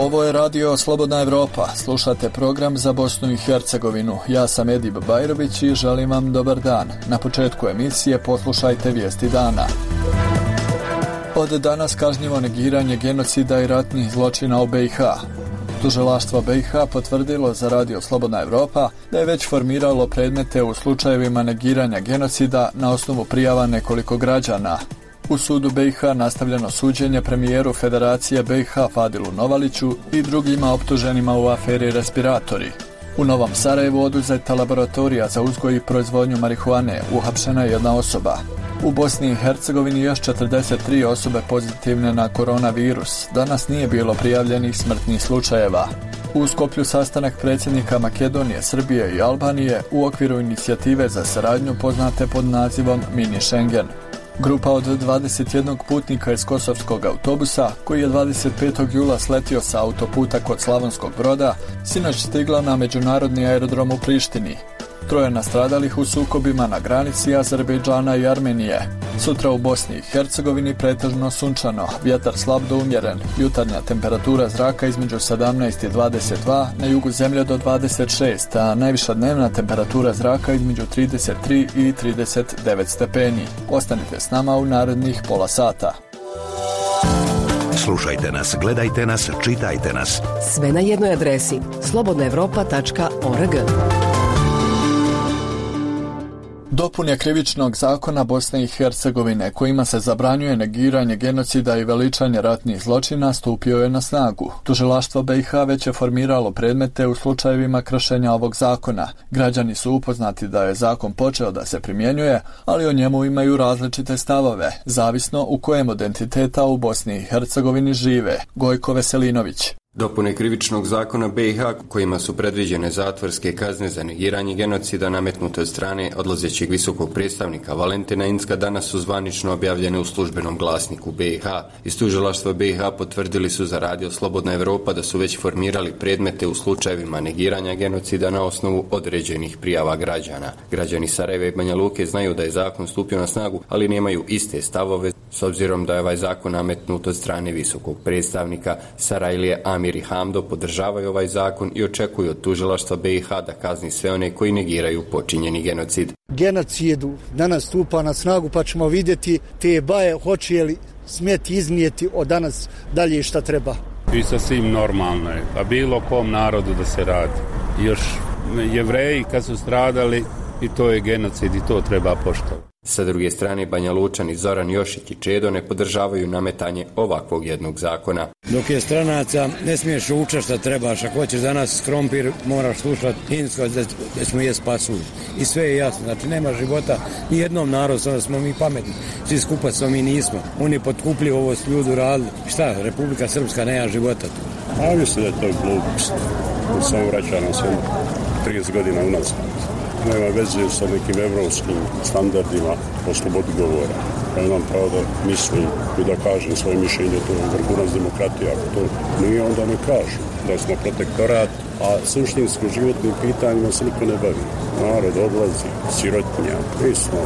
Ovo je radio Slobodna Evropa. Slušate program za Bosnu i Hercegovinu. Ja sam Edib Bajrović i želim vam dobar dan. Na početku emisije poslušajte vijesti dana. Od danas kažnjivo negiranje genocida i ratnih zločina u BiH. Tužilaštvo BiH potvrdilo za radio Slobodna Evropa da je već formiralo predmete u slučajevima negiranja genocida na osnovu prijava nekoliko građana. U sudu BiH nastavljeno suđenje premijeru Federacije BiH Fadilu Novaliću i drugima optuženima u aferi Respiratori. U Novom Sarajevu oduzeta laboratorija za uzgoj i proizvodnju marihuane, uhapšena je jedna osoba. U Bosni i Hercegovini još 43 osobe pozitivne na koronavirus. Danas nije bilo prijavljenih smrtnih slučajeva. U Skoplju sastanak predsjednika Makedonije, Srbije i Albanije u okviru inicijative za saradnju poznate pod nazivom Mini Schengen. Grupa od 21 putnika iz kosovskog autobusa, koji je 25. jula sletio sa autoputa kod Slavonskog Broda, sinoć stigla na međunarodni aerodrom u Prištini. 3 nastradalih u sukobima na granici Azerbejdžana i Armenije. Sutra u Bosni i Hercegovini pretežno sunčano, vjetar slab do umjeren, jutarnja temperatura zraka između 17 i 22, na jugu zemlje do 26, a najviša dnevna temperatura zraka između 33 i 39 stepeni. Ostanite s nama u narednih pola sata. Slušajte nas, gledajte nas, čitajte nas. Sve na jednoj adresi slobodnaevropa.org. Dopune krivičnog zakona Bosne i Hercegovine kojima se zabranjuje negiranje genocida i veličanje ratnih zločina stupio je na snagu. Tužilaštvo BiH već je formiralo predmete u slučajevima kršenja ovog zakona. Građani su upoznati da je zakon počeo da se primjenjuje, ali o njemu imaju različite stavove, zavisno u kojem od entiteta u Bosni i Hercegovini žive. Gojko Veselinović. Dopune krivičnog zakona BiH kojima su predviđene zatvorske kazne za negiranje genocida nametnute od strane odlazećeg visokog predstavnika Valentina Incka danas su zvanično objavljene u službenom glasniku BiH. Iz tužilaštva BiH potvrdili su za radio Slobodna Evropa da su već formirali predmete u slučajevima negiranja genocida na osnovu određenih prijava građana. Građani Sarajeva i Banja Luke znaju da je zakon stupio na snagu, ali nemaju iste stavove s obzirom da je ovaj zakon nametnut od strane visokog predstavnika. Sarajlije Amir i Hamdo podržavaju ovaj zakon i očekuju od tužilaštva BiH da kazni sve one koji negiraju počinjeni genocid. Genocidu danas stupa na snagu, pa ćemo vidjeti te baje hoće li smjeti iznijeti od danas dalje šta treba. I sasvim normalno je, pa bilo kom narodu da se radi. Još Jevreji kad su stradali i to je genocid i to treba poštovati. Sa druge strane, Banja Lučani Zoran Jošić i Čedo ne podržavaju nametanje ovakvog jednog zakona. Dok je stranaca, ne smiješ učiti šta trebaš. Ako hoćeš danas krompir, moraš slušati hinsko da ćemo jest pasulj. I sve je jasno. Znači, nema života ni jednom narodu, sada smo mi pametni. Svi skupa smo mi nismo. Oni potkupljivo ovo s ljudu radili. Šta, Republika Srpska nema života tu. A mislim da je to glupost. Samo vraća nas 30 godina unazad. Nema veze sa nekim evropskim standardima o slobodi govora. Ja imam pravo da mislim i da kažem svoje mišljenje, to je vrhunac demokratije. Ako to nije, onda ne kažu da smo protektorat, a suštinskim životnim pitanjima se niko ne bavi. Narod odlazi, sirotinja, mi smo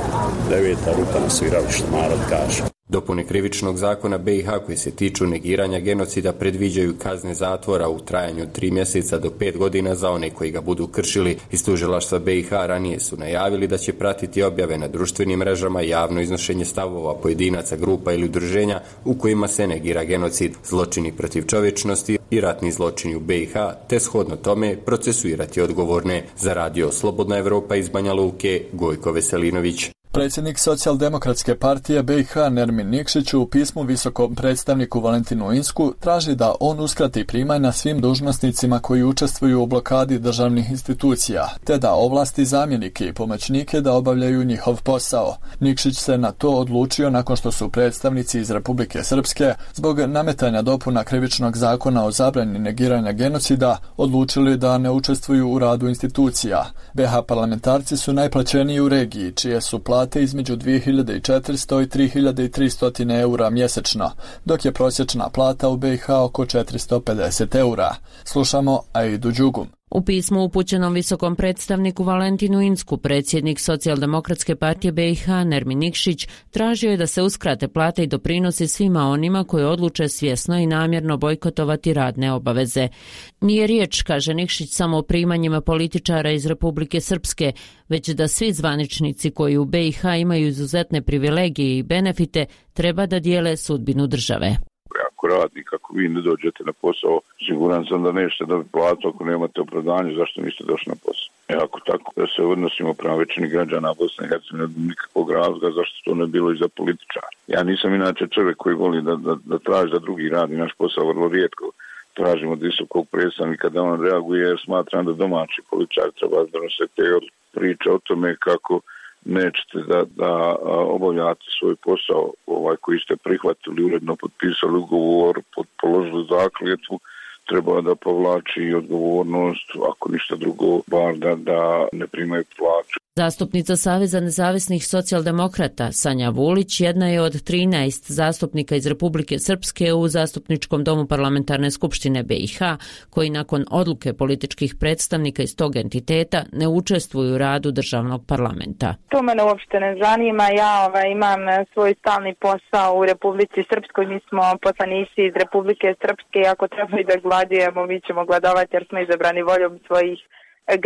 9. ruta na sviralištu, narod kaže. Dopune krivičnog zakona BiH koji se tiču negiranja genocida predviđaju kazne zatvora u trajanju od 3 mjeseca do 5 godina za one koji ga budu kršili. Iz tužilaštva BiH ranije su najavili da će pratiti objave na društvenim mrežama javno iznošenje stavova pojedinaca, grupa ili udruženja u kojima se negira genocid, zločini protiv čovječnosti i ratni zločini u BiH, te shodno tome procesuirati odgovorne. Za radio Slobodna Evropa iz Banja Luke, Gojko Veselinović. Predsjednik Socijaldemokratske partije BiH Nermin Nikšić u pismu visokom predstavniku Valentinu Incku traži da on uskrati primanja svim dužnosnicima koji učestvuju u blokadi državnih institucija, te da ovlasti zamjenike i pomoćnike da obavljaju njihov posao. Nikšić se na to odlučio nakon što su predstavnici iz Republike Srpske zbog nametanja dopuna krivičnog zakona o zabrani negiranja genocida odlučili da ne učestvuju u radu institucija. BiH parlamentarci su najplaćeniji u regiji, čije su plate između 2400 i 3300 eura mjesečno, dok je prosječna plata u BiH oko 450 eura. Slušamo Aidu Đugum. U pismu upućenom visokom predstavniku Valentinu Incku, predsjednik Socijaldemokratske partije BiH Nermin Nikšić tražio je da se uskrate plate i doprinosi svima onima koji odluče svjesno i namjerno bojkotovati radne obaveze. Nije riječ, kaže Nikšić, samo o primanjima političara iz Republike Srpske, već da svi zvaničnici koji u BiH imaju izuzetne privilegije i benefite treba da dijele sudbinu države. Ako radnik, ako vi ne dođete na posao, siguran sam da nećete dobiti platu ako nemate opravdanje zašto niste došli na posao. Ako tako da se odnosimo prema većini građana Bosne i Hercegovine, nikakvog razloga zašto to ne bilo i za političara. Ja nisam inače čovjek koji voli da traži da drugi radi naš posao, vrlo rijetko tražimo od visokog predstavnika da on reaguje, jer smatram da domaći političar treba da donose te priče o tome kako nećete da obavljate svoj posao koji ste prihvatili, uredno potpisali ugovor, položili zakletvu, treba da povlači odgovornost, ako ništa drugo, bar da ne primaju plaću. Zastupnica Saveza nezavisnih socijaldemokrata Sanja Vulić jedna je od 13 zastupnika iz Republike Srpske u Zastupničkom domu Parlamentarne skupštine BiH, koji nakon odluke političkih predstavnika iz tog entiteta ne učestvuju u radu državnog parlamenta. To mene uopšte ne zanima. Ja imam svoj stalni posao u Republici Srpskoj. Mi smo poslanici iz Republike Srpske i ako treba i da gladujemo, mi ćemo gladovati jer smo izabrani voljom svojih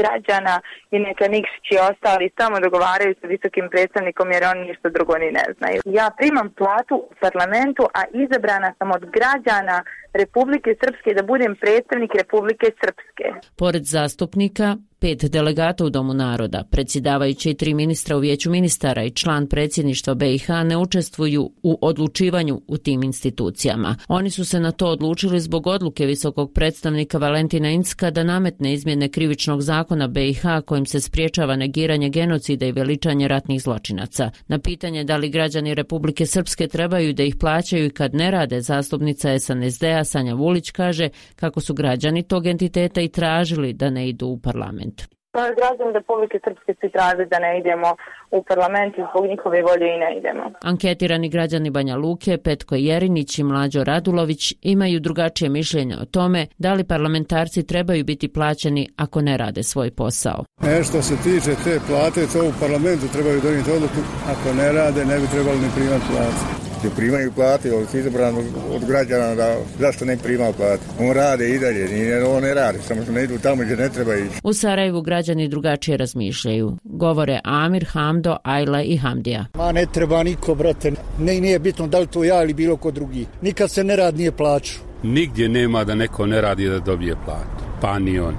građana i neka Nikšić i ostali samo dogovaraju sa visokim predstavnikom jer oni ništa drugo ni ne znaju. Ja primam platu u parlamentu, a izabrana sam od građana Republike Srpske da budem predstavnik Republike Srpske. Pored zastupnika, 5 delegata u Domu naroda, predsjedavajući i 3 ministra u Vijeću ministara i član predsjedništva BiH ne učestvuju u odlučivanju u tim institucijama. Oni su se na to odlučili zbog odluke visokog predstavnika Valentina Incka da nametne izmjene krivičnog zakona BiH kojim se spriječava negiranje genocida i veličanje ratnih zločinaca. Na pitanje da li građani Republike Srpske trebaju da ih plaćaju i kad ne rade, zastupnica SNSD-a Sanja Vulić kaže kako su građani tog entiteta i tražili da ne idu u parlament. Građani Republike Srpske su tražili da ne idemo u parlament i zbog njihove volje i ne idemo. Anketirani građani Banja Luke, Petko Jerinić i Mlađo Radulović imaju drugačije mišljenje o tome da li parlamentarci trebaju biti plaćeni ako ne rade svoj posao. Što se tiče te plate, to u parlamentu trebaju donijeti odluku. Ako ne rade, ne bi trebali ni primati platu. Primaju plate, ali su izabrani od građana da zašto ne primaju plate. On rade i dalje, on ne rade, samo što ne idu tamo gdje ne treba ići. U Sarajevu građani drugačije razmišljaju. Govore Amir, Hamdo, Ajla i Hamdija. Ne treba niko, brate. Nije bitno da li to ja ili bilo ko drugi. Nikad se ne radi nije plaću. Nigdje nema da neko ne radi da dobije platu. Pa ni on.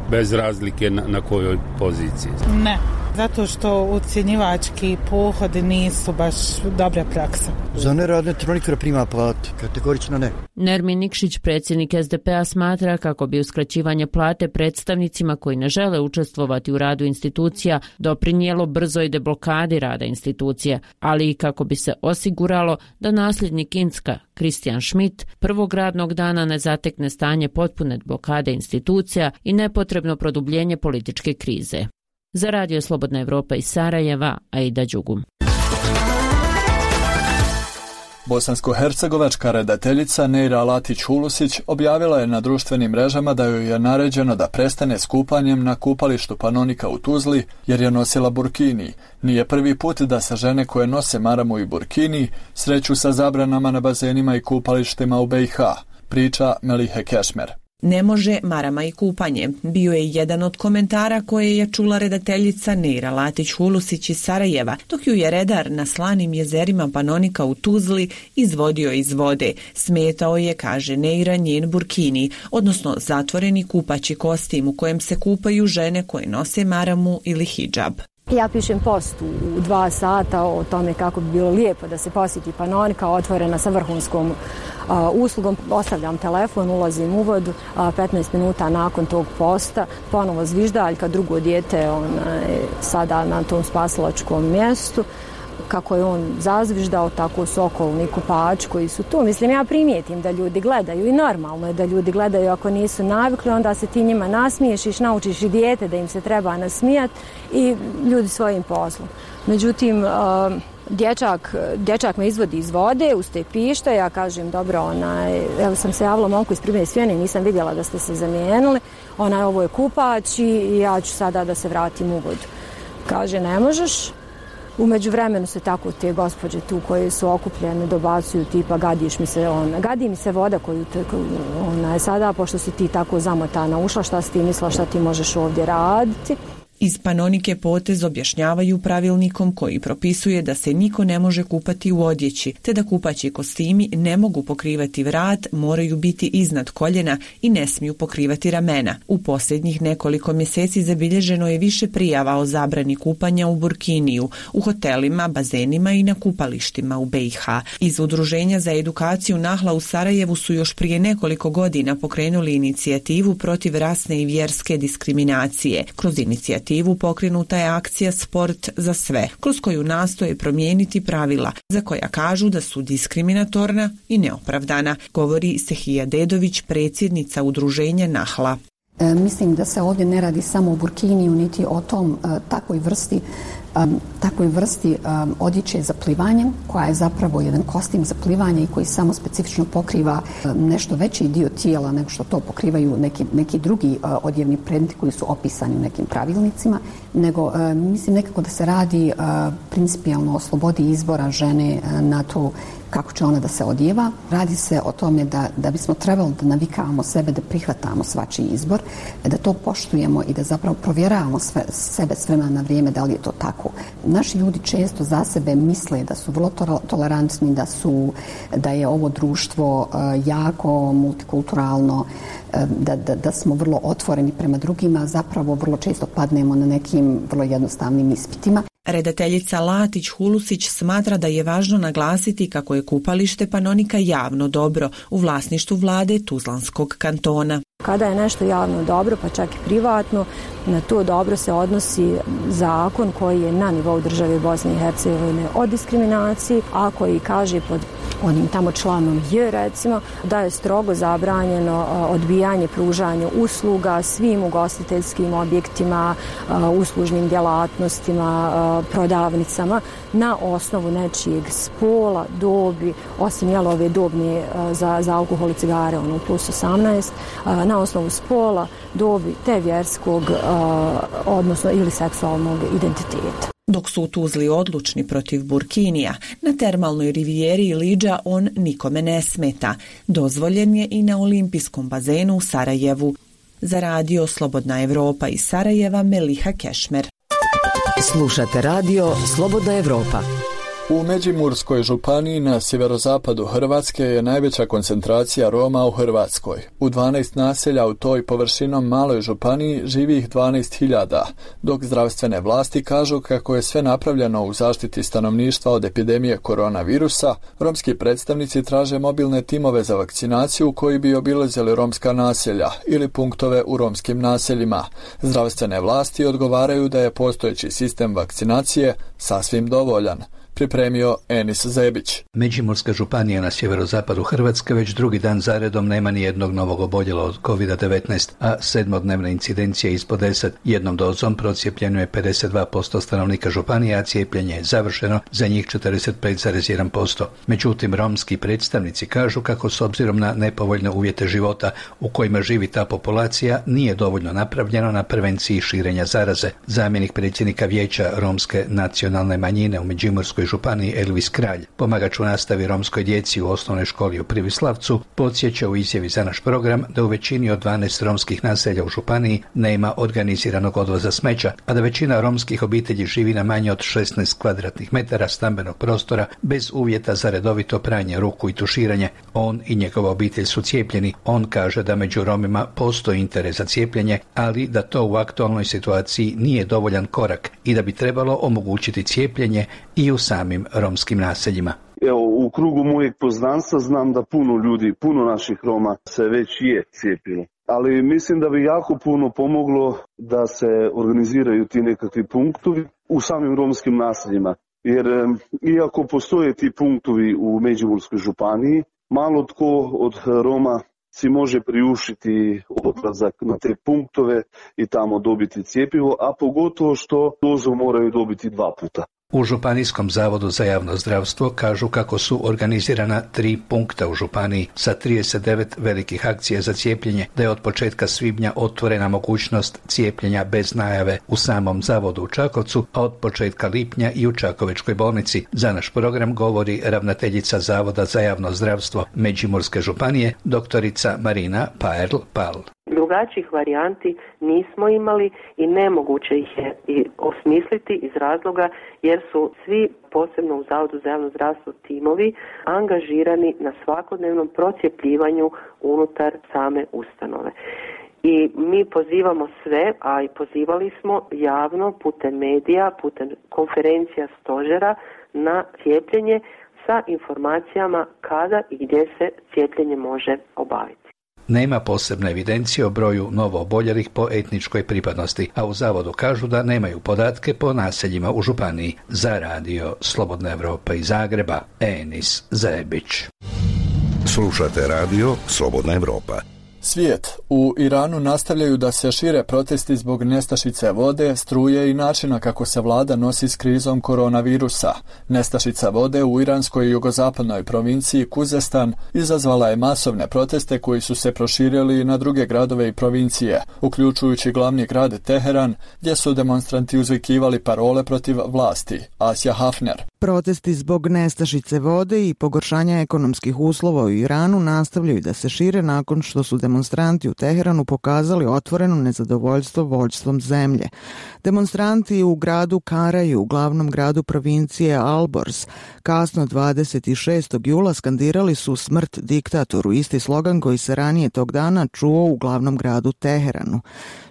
Bez razlike na kojoj poziciji. Ne. Zato što ucjenjivački pohodi nisu baš dobra praksa. Za nerad ne treba nikada prima platu, kategorično ne. Nermin Nikšić, predsjednik SDP-a, smatra kako bi uskraćivanje plate predstavnicima koji ne žele učestvovati u radu institucija doprinijelo brzoj deblokadi rada institucija, ali i kako bi se osiguralo da nasljednik Incka, Kristijan Schmidt, prvog radnog dana ne zatekne stanje potpune blokade institucija i nepotrebno produbljenje političke krize. Za Radio Slobodna Evropa iz Sarajeva, Aida Đugum. Bosansko-hercegovačka redateljica Neira Latić-Hulusić objavila je na društvenim mrežama da joj je naređeno da prestane s kupanjem na kupalištu Panonika u Tuzli jer je nosila burkini. Nije prvi put da se žene koje nose maramu i burkini sreću sa zabranama na bazenima i kupalištima u BiH, priča Melihe Kešmer. Ne može marama i kupanje. Bio je jedan od komentara koje je čula redateljica Neira Latić-Hulusić iz Sarajeva, dok ju je redar na slanim jezerima Panonika u Tuzli izvodio iz vode. Smetao je, kaže Neira, njen burkini, odnosno zatvoreni kupaći kostim u kojem se kupaju žene koje nose maramu ili hidžab. Ja pišem post u 2 sata o tome kako bi bilo lijepo da se posjeti Panonika, otvorena sa vrhunskom uslugom. Ostavljam telefon, ulazim u vodu, 15 minuta nakon tog posta ponovo zviždaljka, drugo dijete sada na tom spasilačkom mjestu. kako je on zazviždao, tako su okolni kupači koji su tu. Mislim, ja primijetim da ljudi gledaju i normalno je da ljudi gledaju, ako nisu navikli, onda se ti njima nasmiješiš, naučiš i dijete da im se treba nasmijati i ljudi svojim poslom. Međutim, dječak me izvodi iz vode, uste pišta, ja kažem, dobro, evo sam se javila momku iz Pribne Svijene, nisam vidjela da ste se zamijenili, ovo je kupač i ja ću sada da se vratim u vodu. Kaže, ne možeš. U međuvremenu se tako te gospođe tu koje su okupljene dobacuju tipa gadi mi se voda koju je sada, pošto si ti tako zamotana ušla, šta si ti mislila, šta ti možeš ovdje raditi. Iz Panonike potez objašnjavaju pravilnikom koji propisuje da se niko ne može kupati u odjeći, te da kupaći kostimi ne mogu pokrivati vrat, moraju biti iznad koljena i ne smiju pokrivati ramena. U posljednjih nekoliko mjeseci zabilježeno je više prijava o zabrani kupanja u burkiniju, u hotelima, bazenima i na kupalištima u BiH. Iz Udruženja za edukaciju Nahla u Sarajevu su još prije nekoliko godina pokrenuli inicijativu protiv rasne i vjerske diskriminacije. Kroz inicijativu pokrenuta je akcija Sport za sve, kroz koju nastoje promijeniti pravila, za koja kažu da su diskriminatorna i neopravdana, govori Sehija Dedović, predsjednica Udruženja Nahla. Mislim da se ovdje ne radi samo o burkiniju, niti o takvoj vrsti odjeće za plivanje, koja je zapravo jedan kostim za plivanje i koji samo specifično pokriva nešto veći dio tijela nego što to pokrivaju neki drugi odjevni predmeti koji su opisani u nekim pravilnicima, nego mislim nekako da se radi principijalno o slobodi izbora žene na to kako će ona da se odjeva. Radi se o tome da bismo trebali da navikavamo sebe, da prihvatamo svačiji izbor, da to poštujemo i da zapravo provjeravamo sebe s vremena na vrijeme da li je to tako. Naši ljudi često za sebe misle da su vrlo tolerantni, da je ovo društvo jako multikulturalno, da smo vrlo otvoreni prema drugima, zapravo vrlo često padnemo na nekim vrlo jednostavnim ispitima. Redateljica Latić Hulusić smatra da je važno naglasiti kako je kupalište Panonika javno dobro u vlasništvu vlade Tuzlanskog kantona. Kada je nešto javno dobro, pa čak i privatno, na to dobro se odnosi zakon koji je na nivou države Bosne i Hercegovine o diskriminaciji, a koji kaže pod onim tamo članom J, recimo, da je strogo zabranjeno odbijanje pružanja usluga svim ugostiteljskim objektima, uslužnim djelatnostima, prodavnicama na osnovu nečijeg spola, dobi, osim ove dobne za alkohol i cigare, plus 18, na osnovu spola, dobi te vjerskog, odnosno ili seksualnog identiteta. Dok su u Tuzli odlučni protiv burkinija, na termalnoj rivijeri Liđa on nikome ne smeta. Dozvoljen je i na olimpijskom bazenu u Sarajevu. Za radio Slobodna Evropa iz Sarajeva, Meliha Kešmer. Slušate radio Slobodna Evropa. U Međimurskoj županiji na sjeverozapadu Hrvatske je najveća koncentracija Roma u Hrvatskoj. U 12 naselja u toj površinom maloj županiji živi ih 12.000, dok zdravstvene vlasti kažu kako je sve napravljeno u zaštiti stanovništva od epidemije koronavirusa. Romski predstavnici traže mobilne timove za vakcinaciju koji bi obilazili romska naselja ili punktove u romskim naseljima. Zdravstvene vlasti odgovaraju da je postojeći sistem vakcinacije sasvim dovoljan. Pripremio Enis Zebić. Međimurska županija na sjeverozapadu Hrvatske već drugi dan zaredom nema ni jednog novog oboljela od COVID-19, a 7-dnevna incidencija ispod 10. Jednom dozom procijepljeno je 52% stanovnika županije, a cijepljenje je završeno za njih 45,1%. Međutim, romski predstavnici kažu kako s obzirom na nepovoljne uvjete života u kojima živi ta populacija nije dovoljno napravljeno na prevenciji širenja zaraze. Zamjenik predsjednika vijeća romske nacionalne manjine u Međimurskoj županiji Elvis Kralj, pomagač u nastavi romskoj djeci u osnovnoj školi u Privislavcu, podsjeća u izjavi za naš program da u većini od 12 romskih naselja u županiji nema organiziranog odvoza smeća, a da većina romskih obitelji živi na manje od 16 kvadratnih metara stambenog prostora bez uvjeta za redovito pranje ruku i tuširanje. On i njegova obitelj su cijepljeni. On kaže da među Romima postoji interes za cijepljenje, ali da to u aktualnoj situaciji nije dovoljan korak i da bi trebalo omogućiti cijepljenje i u samim romskim naseljima. Evo, u krugu mojeg poznanstva znam da puno ljudi, puno naših Roma se već je cijepilo. Ali mislim da bi jako puno pomoglo da se organiziraju ti nekakvi punktovi u samim romskim naseljima. jer iako postoje ti punktovi u Međimurskoj županiji, malo tko od Roma si može priuštiti odlazak na te punktove i tamo dobiti cjepivo, a pogotovo što dozu moraju dobiti 2 puta. U Županijskom zavodu za javno zdravstvo kažu kako su organizirana 3 punkta u županiji sa 39 velikih akcija za cijepljenje, da je od početka svibnja otvorena mogućnost cijepljenja bez najave u samom zavodu u Čakovcu, a od početka lipnja i u Čakovečkoj bolnici. Za naš program govori ravnateljica Zavoda za javno zdravstvo Međimurske županije, doktorica Marina Paerl-Pal. Drugačijih varijanti nismo imali i nemoguće ih je i osmisliti iz razloga jer su svi, posebno u Zavodu za javno zdravstvo, timovi angažirani na svakodnevnom procijepljivanju unutar same ustanove. I mi pozivamo sve, a i pozivali smo javno putem medija, putem konferencija stožera na cijepljenje sa informacijama kada i gdje se cijepljenje može obaviti. Nema posebne evidencije o broju novooboljelih po etničkoj pripadnosti, a u zavodu kažu da nemaju podatke po naseljima u županiji. Za radio Slobodna Evropa iz Zagreba, Enis Zebić. Slušate radio Slobodna Evropa. Svijet. U Iranu nastavljaju da se šire protesti zbog nestašice vode, struje i načina kako se vlada nosi s krizom koronavirusa. Nestašica vode u iranskoj jugozapadnoj provinciji Kuzestan izazvala je masovne proteste koji su se proširili na druge gradove i provincije, uključujući glavni grad Teheran, gdje su demonstranti uzvikivali parole protiv vlasti. Asja Hafner. Protesti zbog nestašice vode i pogoršanja ekonomskih uslova u Iranu nastavljaju da se šire nakon što su demonstranti u Teheranu pokazali otvoreno nezadovoljstvo vođstvom zemlje. Demonstranti u gradu Karaju, u glavnom gradu provincije Alborz, kasno 26. jula skandirali su smrt diktatoru, isti slogan koji se ranije tog dana čuo u glavnom gradu Teheranu.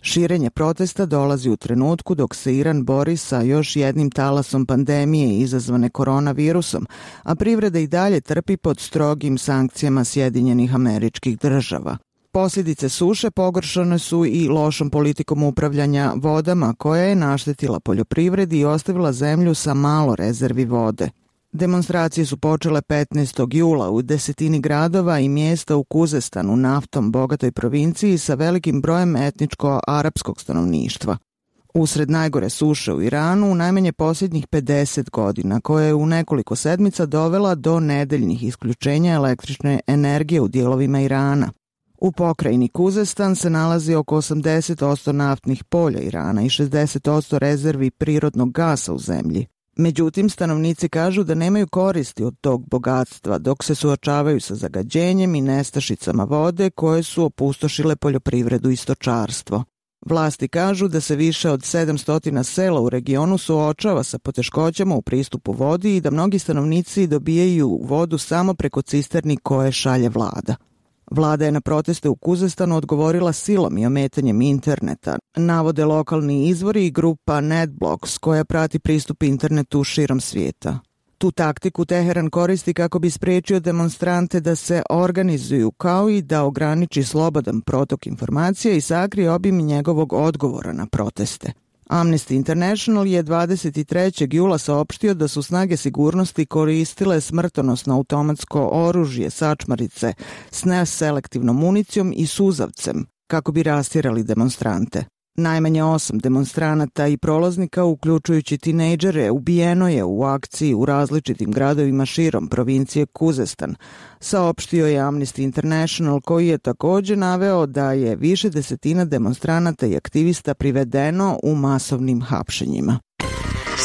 Širenje protesta dolazi u trenutku dok se Iran bori sa još jednim talasom pandemije izazvane koronavirusom, a privreda i dalje trpi pod strogim sankcijama Sjedinjenih Američkih Država. Posljedice suše pogoršane su i lošom politikom upravljanja vodama koja je naštetila poljoprivredi i ostavila zemlju sa malo rezervi vode. Demonstracije su počele 15. jula u desetini gradova i mjesta u Kuzestanu, naftom bogatoj provinciji sa velikim brojem etničko-arapskog stanovništva. Usred najgore suše u Iranu, najmanje posljednjih 50 godina, koja je u nekoliko sedmica dovela do nedeljnih isključenja električne energije u dijelovima Irana. U pokrajini Kuzestan se nalazi oko 80% naftnih polja Irana i 60% rezervi prirodnog gasa u zemlji. Međutim, stanovnici kažu da nemaju koristi od tog bogatstva dok se suočavaju sa zagađenjem i nestašicama vode koje su opustošile poljoprivredu i stočarstvo. Vlasti kažu da se više od 700 sela u regionu suočava sa poteškoćama u pristupu vodi i da mnogi stanovnici dobijaju vodu samo preko cisterni koje šalje vlada. Vlada je na proteste u Kuzestanu odgovorila silom i ometanjem interneta, navode lokalni izvori i grupa NetBlocks koja prati pristup internetu širom svijeta. Tu taktiku Teheran koristi kako bi spriječio demonstrante da se organizuju, kao i da ograniči slobodan protok informacija i sakrije obim njegovog odgovora na proteste. Amnesty International je 23. jula saopštio da su snage sigurnosti koristile smrtonosno automatsko oružje, sačmarice s neselektivnom municijom i suzavcem kako bi rastjerali demonstrante. Najmanje 8 demonstranata i prolaznika, uključujući tinejdžere, ubijeno je u akciji u različitim gradovima širom provincije Kuzestan, saopštio je Amnesty International, koji je također naveo da je više desetina demonstranata i aktivista privedeno u masovnim hapšenjima.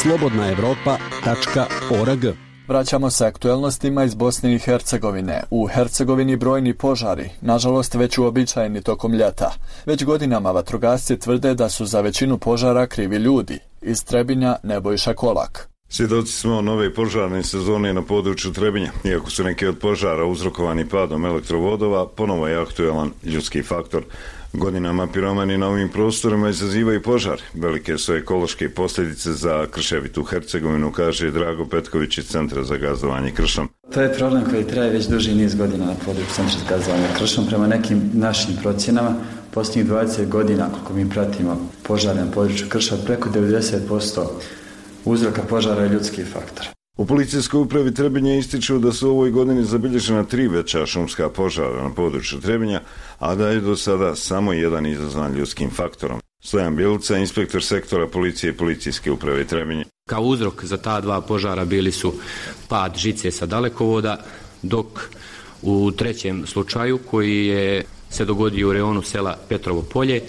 slobodnaevropa.org. Vraćamo se aktuelnostima iz Bosne i Hercegovine. U Hercegovini brojni požari, nažalost već uobičajeni tokom ljeta. Već godinama vatrogasci tvrde da su za većinu požara krivi ljudi. Iz Trebinja Nebojša Kolak. Svjedoci smo nove požarne sezone na području Trebinja. Iako su neki od požara uzrokovani padom elektrovodova, ponovo je aktualan ljudski faktor. Godinama piromani na ovim prostorima izazivaju požar. Velike su ekološke posljedice za krševitu Hercegovinu, kaže Drago Petković iz Centra za gazdovanje kršom. To je problem koji traje već duži niz godina na području Centra za gazdovanje kršom. Prema nekim našim procjenama, posljednjih 20 godina, koliko mi pratimo požare na području krša, preko 90% uzroka požara je ljudski faktor. U policijskoj upravi Trebinje ističu da su u ovoj godini zabilježena 3 veća šumska požara na području Trebinja, a da je do sada samo jedan izazvan ljudskim faktorom. Stojan Bjelica, inspektor sektora policije i policijske uprave Trebinje. Kao uzrok za ta 2 požara bili su pad žice sa dalekovoda, dok u trećem slučaju koji je se dogodio u reonu sela Petrovo polje,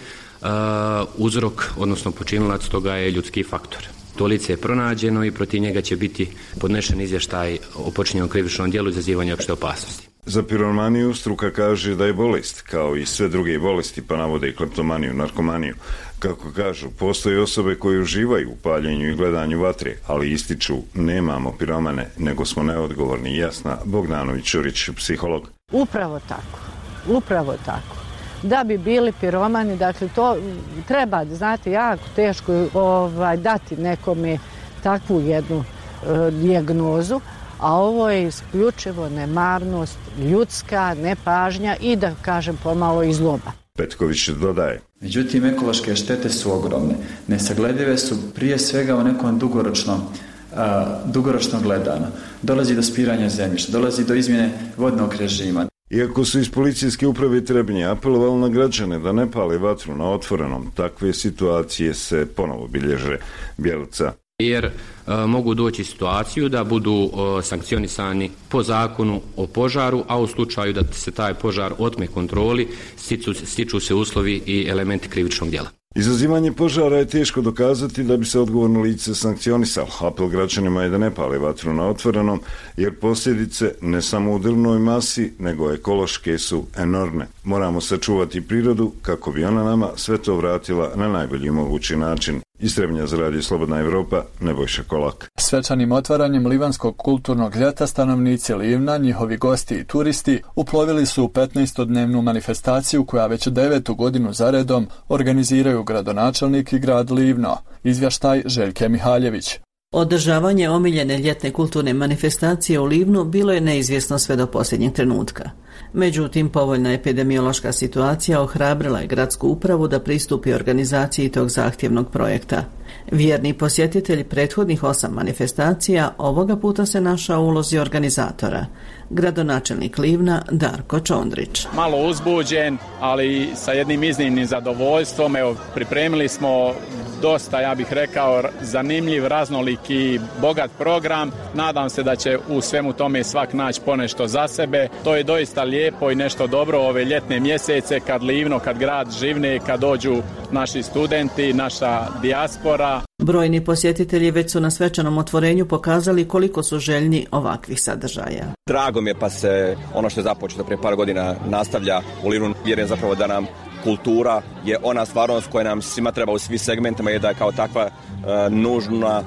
uzrok, odnosno počinilac toga je ljudski faktor. To lice je pronađeno i protiv njega će biti podnešen izvještaj o počinjenom krivičnom djelu izazivanja opšte opasnosti. Za piromaniju struka kaže da je bolest, kao i sve druge bolesti, pa navode i kleptomaniju, narkomaniju. Kako kažu, postoje osobe koje uživaju u paljenju i gledanju vatre, ali ističu nemamo piromane, nego smo neodgovorni. Jasna Bogdanović-Čurić, psiholog. Upravo tako. Da bi bili piromani, dakle to treba, znate, jako teško dati nekome takvu jednu dijagnozu, a ovo je isključivo nemarnost, ljudska nepažnja i da kažem pomalo i zloba. Petković dodaje. Međutim, ekološke štete su ogromne. Nesagledive su prije svega u nekom dugoročno gledano. Dolazi do spiranja zemljišta, dolazi do izmjene vodnog režima. Iako su iz policijske uprave Trebinje apelovali na građane da ne pale vatru na otvorenom, takve situacije se ponovo bilježe. Bjelica. Jer mogu doći situaciju da budu sankcionisani po zakonu o požaru, a u slučaju da se taj požar otme kontroli, stiču se uslovi i elementi krivičnog djela. Izazivanje požara je teško dokazati da bi se odgovorno lice sankcionisalo. Apel građanima je da ne pale vatru na otvorenom, jer posljedice ne samo u drvnoj masi, nego ekološke su enormne. Moramo sačuvati prirodu kako bi ona nama sve to vratila na najbolji mogući način. Iz Trebinja za Radio Slobodna Evropa, Nebojša Kolak. Svečanim otvaranjem Livanskog kulturnog ljeta stanovnici Livna, njihovi gosti i turisti uplovili su u 15-dnevnu manifestaciju koja već 9. godinu zaredom organiziraju gradonačelnik i grad Livno. Izvještaj Željke Mihaljević. Održavanje omiljene ljetne kulturne manifestacije u Livnu bilo je neizvjesno sve do posljednjeg trenutka. Međutim, povoljna epidemiološka situacija ohrabrila je gradsku upravu da pristupi organizaciji tog zahtjevnog projekta. Vjerni posjetitelj prethodnih 8 manifestacija ovoga puta se našao u ulozi organizatora. Gradonačelnik Livna Darko Čondrić. Malo uzbuđen, ali sa jednim iznimnim zadovoljstvom. Evo, pripremili smo dosta, ja bih rekao, zanimljiv, raznolik i bogat program. Nadam se da će u svemu tome svak naći ponešto za sebe. To je doista lijepo i nešto dobro ove ljetne mjesece kad Livno, kad grad živne, kad dođu naši studenti, naša dijaspora. Brojni posjetitelji već su na svečanom otvorenju pokazali koliko su željni ovakvih sadržaja. Drago mi je pa se ono što je započeto prije par godina nastavlja u Livnu. Vjerujem zapravo da nam kultura je ona stvarnost koja nam svima treba u svim segmentima i da je kao takva nužna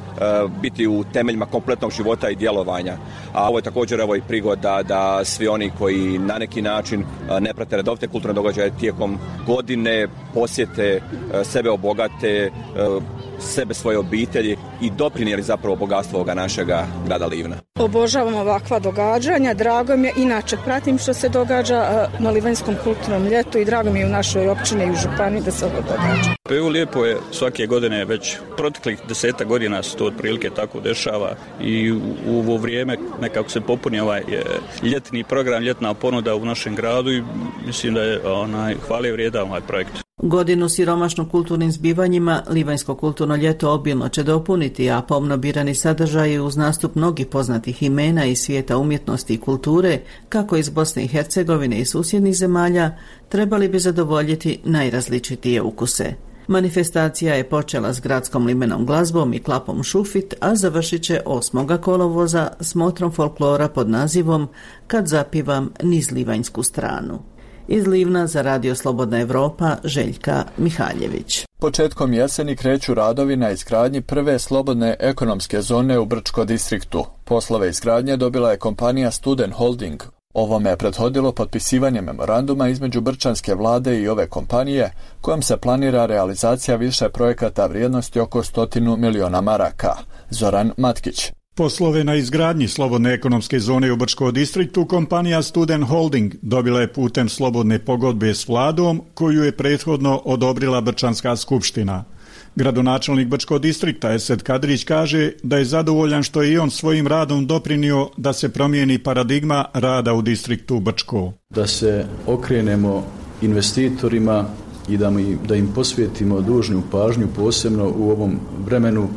biti u temeljima kompletnog života i djelovanja. A ovo je također i prigoda da svi oni koji na neki način ne prate redovite kulturne događaje tijekom godine posjete, sebe obogate, sebe, svoje obitelji i doprinijeli zapravo bogatstvo ovoga našega grada Livna. Obožavam ovakva događanja, drago mi je, inače pratim što se događa na Livanjskom kulturnom ljetu i drago mi je u našoj općini i u županiji da se ovo događa. Pa evo lijepo je, svake godine već proteklih 10 godina se to otprilike tako dešava i u ovo vrijeme nekako se popuni ovaj ljetni program, ljetna ponuda u našem gradu i mislim da je hvale vrijedan ovaj projekt. Godinu siromašnu kulturnim zbivanjima Livanjsko kulturno ljeto obilno će dopuniti, a pomno birani sadržaji uz nastup mnogih poznatih imena iz svijeta umjetnosti i kulture, kako iz Bosne i Hercegovine i susjednih zemalja, trebali bi zadovoljiti najrazličitije ukuse. Manifestacija je počela s gradskom limenom glazbom i klapom šufit, a završit će 8. kolovoza smotrom folklora pod nazivom Kad zapivam niz livanjsku stranu. Iz Livna za Radio Slobodna Evropa, Željka Mihaljević. Početkom jeseni kreću radovi na izgradnji prve slobodne ekonomske zone u Brčko distriktu. Poslove izgradnje dobila je kompanija Student Holding. Ovome je prethodilo potpisivanje memoranduma između brčanske vlade i ove kompanije, kojom se planira realizacija više projekata vrijednosti oko 100 miliona maraka. Zoran Matkić. Poslove na izgradnji slobodne ekonomske zone u Brčkom distriktu kompanija Student Holding dobila je putem slobodne pogodbe s vladom, koju je prethodno odobrila Brčanska skupština. Gradonačelnik Brčkog distrikta Esed Kadrić kaže da je zadovoljan što je i on svojim radom doprinio da se promijeni paradigma rada u distriktu Brčko. Da se okrenemo investitorima i da im posvetimo dužnu pažnju, posebno u ovom vremenu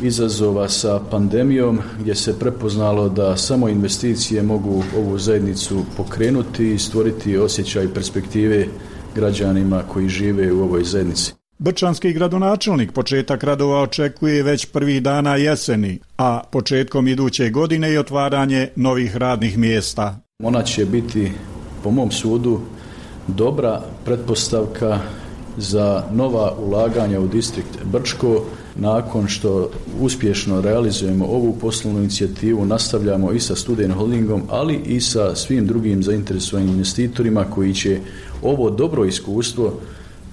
izazova sa pandemijom, gdje se prepoznalo da samo investicije mogu ovu zajednicu pokrenuti i stvoriti osjećaj perspektive građanima koji žive u ovoj zajednici. Brčanski gradonačelnik početak radova očekuje već prvih dana jeseni, a početkom iduće godine i otvaranje novih radnih mjesta. Ona će biti, po mom sudu, dobra pretpostavka za nova ulaganja u distrikt Brčko. Nakon što uspješno realizujemo ovu poslovnu inicijativu, nastavljamo i sa Student Holdingom, ali i sa svim drugim zainteresovanim investitorima koji će ovo dobro iskustvo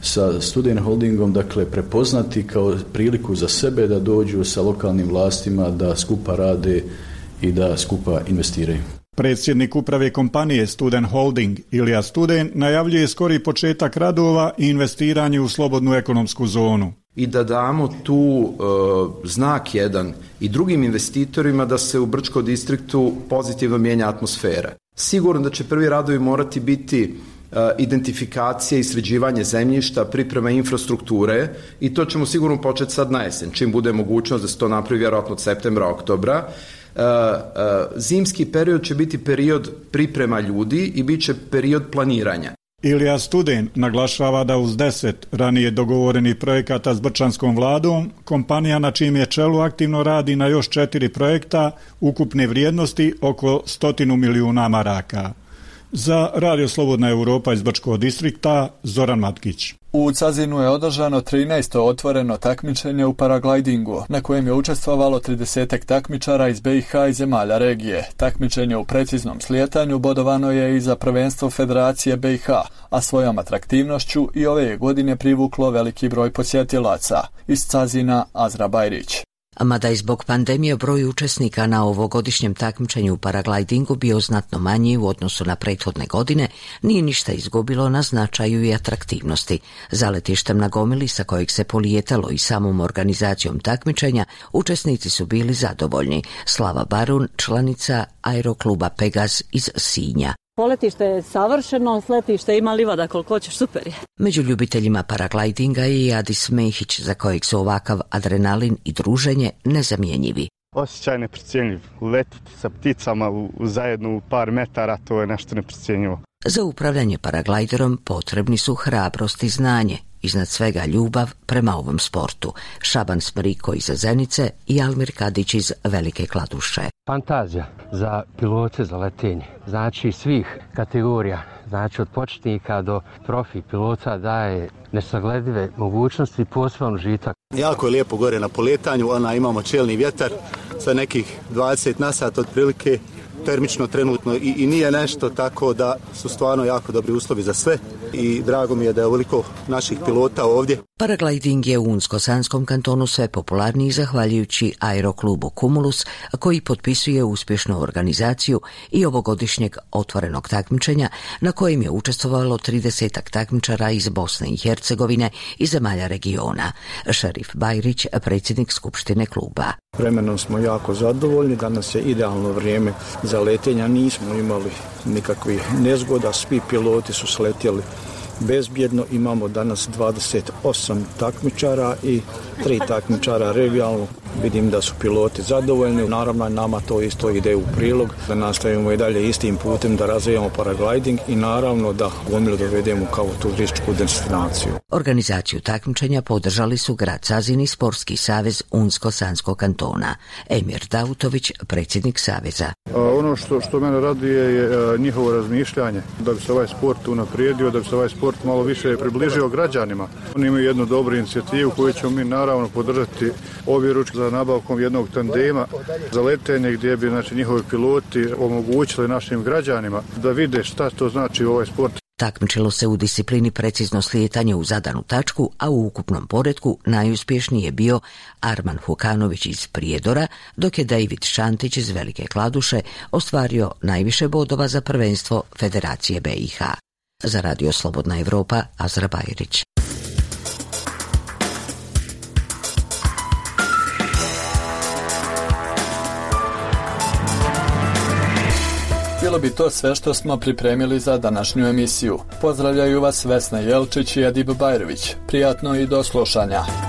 sa Student Holdingom prepoznati kao priliku za sebe da dođu sa lokalnim vlastima, da skupa rade i da skupa investiraju. Predsjednik uprave kompanije Student Holding Ilija Studen najavljuje skori početak radova i investiranje u slobodnu ekonomsku zonu. I da damo tu znak jedan i drugim investitorima da se u Brčkom distriktu pozitivno mijenja atmosfera. Sigurno da će prvi radovi morati biti identifikacija i sređivanje zemljišta, priprema infrastrukture i to ćemo sigurno početi sad na jesen, čim bude mogućnost da se to napravi vjerojatno od septembra, oktobra. Zimski period će biti period priprema ljudi i bit će period planiranja. Ilija Studen naglašava da uz 10 ranije dogovorenih projekata s brčanskom vladom, kompanija na čijem je čelu aktivno radi na još 4 projekta ukupne vrijednosti oko 100 milijuna maraka. Za Radio Slobodna Europa iz Brčkog distrikta, Zoran Matkić. U Cazinu je održano 13. otvoreno takmičenje u paraglidingu, na kojem je učestvovalo 30 takmičara iz BiH i zemalja regije. Takmičenje u preciznom slijetanju bodovano je i za prvenstvo Federacije BiH, a svojom atraktivnošću i ove godine privuklo veliki broj posjetilaca. Iz Cazina, Azra Bajrić. Mada je zbog pandemije broj učesnika na ovogodišnjem takmičenju u paraglidingu bio znatno manji u odnosu na prethodne godine, nije ništa izgubilo na značaju i atraktivnosti. Za letištem na Gomili, sa kojeg se polijetalo i samom organizacijom takmičenja, učesnici su bili zadovoljni. Slava Barun, članica aerokluba Pegaz iz Sinja. Poletište je savršeno, sletište ima livada koliko hoćeš, super je. Među ljubiteljima paraglidinga je i Adis Mehić, za kojeg su ovakav adrenalin i druženje nezamjenjivi. Osjećaj neprocjenjiv. Letiti sa pticama zajedno u par metara, to je nešto neprocjenjivo. Za upravljanje paraglajderom potrebni su hrabrost i znanje, iznad svega ljubav prema ovom sportu. Šaban Smriko iz Zenice i Almir Kadić iz Velike Kladuše. Fantazija za pilote za letenje, znači svih kategorija, znači od početnika do profi pilota daje nesagledive mogućnosti i poseban užitak. Jako je lijepo gore na poletanju, imamo čelni vjetar sa nekih 20 na sat otprilike, termično trenutno i nije nešto, tako da su stvarno jako dobri uslovi za sve i drago mi je da je ovoliko naših pilota ovdje. Paragliding je u Unsko-Sanskom kantonu sve popularniji zahvaljujući aeroklubu Cumulus, koji potpisuje uspješnu organizaciju i ovogodišnjeg otvorenog takmičenja na kojem je učestvovalo 30 takmičara iz Bosne i Hercegovine i zemalja regiona. Šerif Bajrić, predsjednik skupštine kluba. Vremenom smo jako zadovoljni, danas je idealno vrijeme za letenja, nismo imali nikakvih nezgoda, svi piloti su sletjeli bezbjedno. Imamo danas 28 takmičara i 3 takmičara regionalno. Vidim da su piloti zadovoljni. Naravno, nama to isto ide u prilog, da nastavimo i dalje istim putem da razvijamo paragliding i naravno da Gomilu dovedemo kao turističku destinaciju. Organizaciju takmičenja podržali su grad Cazin i Sportski savez Unsko-Sanskog kantona. Emir Dautović, predsjednik saveza. Ono što mene raduje je njihovo razmišljanje, da bi se ovaj sport unaprijedio, da bi se ovaj sport malo više približio građanima. Oni imaju jednu dobru inicijativu koju ćemo mi naravno podržati objeručke za nabavkom jednog tandema za letenje gdje bi njihovi piloti omogućili našim građanima da vide šta to znači ovaj sport. Takmičilo se u disciplini precizno slijetanje u zadanu tačku, a u ukupnom poretku najuspješniji je bio Arman Hukanović iz Prijedora, dok je David Šantić iz Velike Kladuše ostvario najviše bodova za prvenstvo Federacije BiH. Za Radio Slobodna Europa, Azra Bajrić. bilo bi to sve što smo pripremili za današnju emisiju. Pozdravljaju vas Vesna Jelčić i Edip Bajrović. Prijatno i do slušanja.